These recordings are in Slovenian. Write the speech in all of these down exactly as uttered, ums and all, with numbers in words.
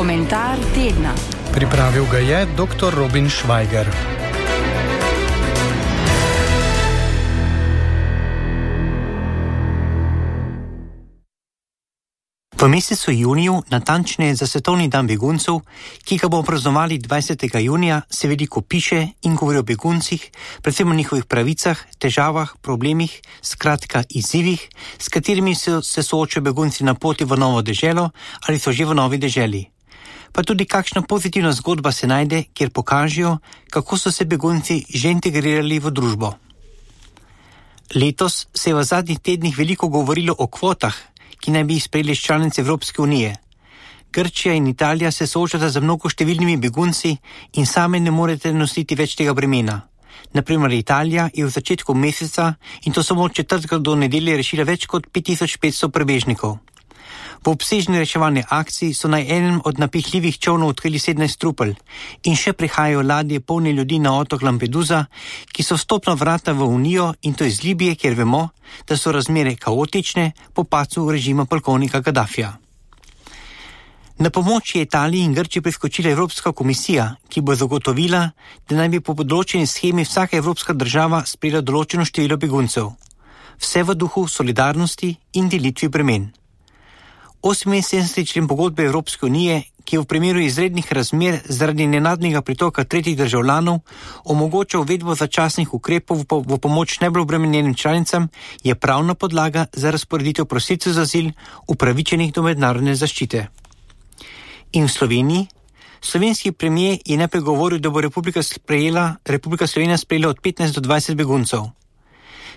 Komentar tedna. Pripravil ga je doktor Robin Švajger. V mesecu juniju, natančneje za svetovni dan beguncev, ki ga bomo praznovali dvajsetega junija, se veliko piše in govori o beguncih, predvsem o njihovih pravicah, težavah, problemih, skratka izzivih, s katerimi se, se soočajo begunci na poti v novo deželo ali so že v novi deželi. Pa tudi kakšna pozitivna zgodba se najde, kjer pokažejo, kako so se begunci že integrirali v družbo. Letos se je v zadnjih tednih veliko govorilo o kvotah, ki naj bi jih sprejeli članice Evropske unije. Grčija in Italija se soočata z mnogo številnimi begunci in same ne morete nositi več tega bremena. Naprimer, Italija je v začetku meseca in to samo od četrtka do nedelje rešila več kot pet tisoč petsto prebežnikov. V obsežni reševalni akciji so na enem od napihljivih čovnov odkrili sedemnajst trupel in še prihajajo ladje polne ljudi na otok Lampedusa, ki so vstopna vrata v Unijo, in to iz Libije, kjer vemo, da so razmere kaotične po padcu režima polkovnika Gaddafija. Na pomoč je Italiji in Grčiji priskočila Evropska komisija, ki bo zagotovila, da naj bi po področeni shemi vsaka evropska država sprejela določeno število beguncev. Vse v duhu solidarnosti in delitvi bremen. oseminsedemdeseti člen pogodbe Evropske unije, ki v primeru izrednih razmer zaradi nenadnega pritoka tretjih državljanov omogoča uvedbo začasnih ukrepov v, po, v pomoč najbolj obremenjenim članicam, je pravna podlaga za razporeditev prosilcev za azil upravičenih do mednarodne zaščite. In v Sloveniji? Slovenski premier je najprej govoril, da bo Republika, sprejela, Republika Slovenija sprejela od petnajst do dvajset beguncev.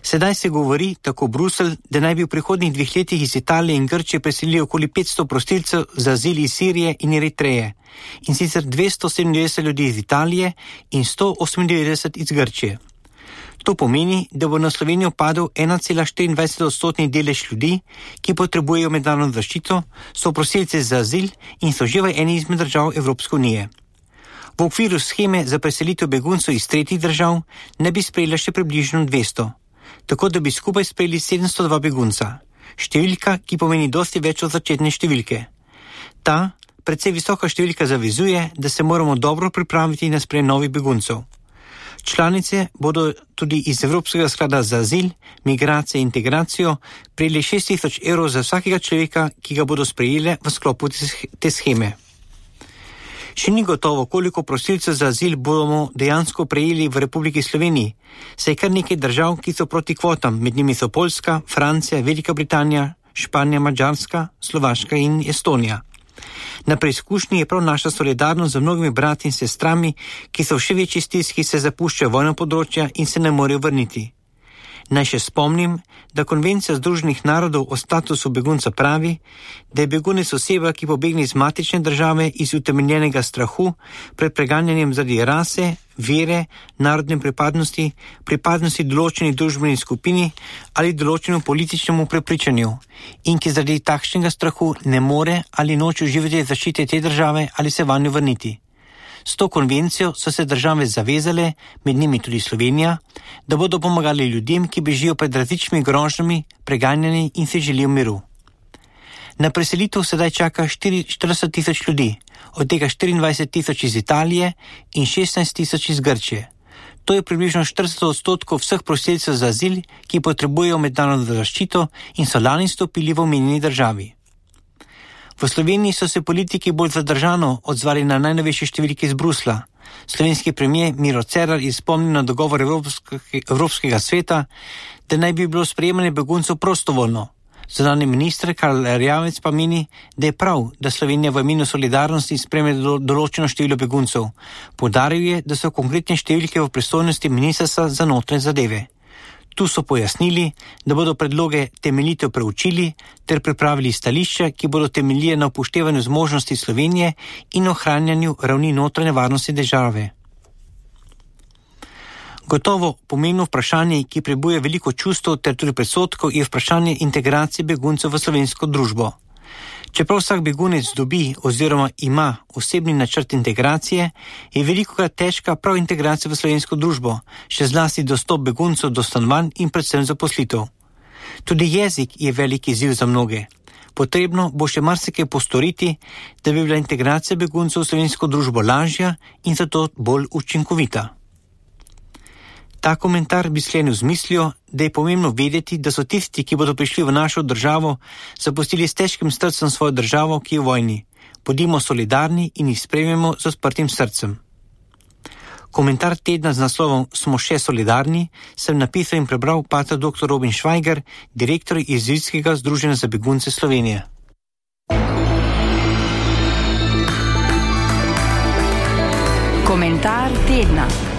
Sedaj se govori, tako Bruselj, da naj bi v prihodnjih dveh letih iz Italije in Grčije preselili okoli petsto prosilcev za azil iz Sirije in Eritreje, in sicer dvesto sedemindevetdeset ljudi iz Italije in sto osemindevetdeset iz Grčije. To pomeni, da bo na Slovenijo padel ena cela štiriindvajset odstotni delež ljudi, ki potrebujejo mednarodno zaščito, so prosilci za azil in so že v eni izmed držav Evropske unije. V okviru sheme za preselitev beguncev iz tretjih držav ne bi sprejela še približno dvesto. Tako da bi skupaj sprejeli sedemsto dva begunca, številka, ki pomeni dosti več od začetne številke. Ta, precej visoka številka, zavezuje, da se moramo dobro pripraviti na sprejem novih beguncev. Članice bodo tudi iz Evropskega sklada za azil, migracije in integracijo prejeli šest tisoč evrov za vsakega človeka, ki ga bodo sprejeli v sklopu te sheme. Še ni gotovo, koliko prosilcev za azil bomo dejansko prejeli v Republiki Sloveniji, saj je kar nekaj držav, ki so proti kvotam, med njimi so Poljska, Francija, Velika Britanija, Španija, Madžarska, Slovaška in Estonija. Na preizkušnji je prav naša solidarnost z mnogimi brati in sestrami, ki so v še večji stiski, se zapuščajo vojna področja in se ne morejo vrniti. Naj še spomnim, da Konvencija Združenih narodov o statusu begunca pravi, da je begunec oseba, ki pobegne iz matične države iz utemeljenega strahu pred preganjanjem zaradi rase, vere, narodne pripadnosti, pripadnosti določeni družbeni skupini ali določenemu političnemu prepričanju in ki zaradi takšnega strahu ne more ali noče uživati zaščite te države ali se vanjo vrniti. S to konvencijo so se države zavezale, med njimi tudi Slovenija, da bodo pomagali ljudem, ki bežijo pred različnimi grožnjami, preganjani in si želijo miru. Na preselitev sedaj čaka štirideset tisoč ljudi, od tega štiriindvajset tisoč iz Italije in šestnajst tisoč iz Grčije. To je približno štirideset odstotkov vseh prosilcev za azil, ki potrebujejo mednarodno zaščito in so lani stopili v omenjeni državi. V Sloveniji so se politiki bolj zadržano odzvali na najnovejše številke iz Brusla. Slovenski premier Miro Cerar je spomnil na dogovor Evropske, Evropskega sveta, da naj bi bilo sprejemanje beguncev prostovoljno. Zunanji minister Karl Erjavec pa meni, da je prav, da Slovenija v imenu solidarnosti sprejme določeno število beguncev. Poudaril je, da so konkretne številke v pristojnosti ministrstva za notranje zadeve. Tu so pojasnili, da bodo predloge temeljito preučili ter pripravili stališča, ki bodo temeljile na upoštevanju zmožnosti Slovenije in ohranjanju ravni notranje varnosti države. Gotovo pomembno vprašanje, ki prebuja veliko čustev ter tudi predsodkov, je vprašanje integracije beguncev v slovensko družbo. Čeprav vsak begunec dobi oziroma ima osebni načrt integracije, je velikokrat težka prav integracija v slovensko družbo, še zlasti dostop beguncev do stanovanj in predvsem zaposlitev. Tudi jezik je velik izziv za mnoge. Potrebno bo še marsikaj postoriti, da bi bila integracija beguncev v slovensko družbo lažja in zato bolj učinkovita. Ta komentar bi sklenil z mislijo, da je pomembno vedeti, da so tisti, ki bodo prišli v našo državo, zapustili s težkim srcem svojo državo, ki je v vojni. Bodimo solidarni in jih sprejmemo z odprtim srcem. Komentar tedna z naslovom Smo še solidarni sem napisal in prebral pater doktor Robin Švajger, direktor Jezuitskega združenja za begunce Slovenije. Komentar tedna.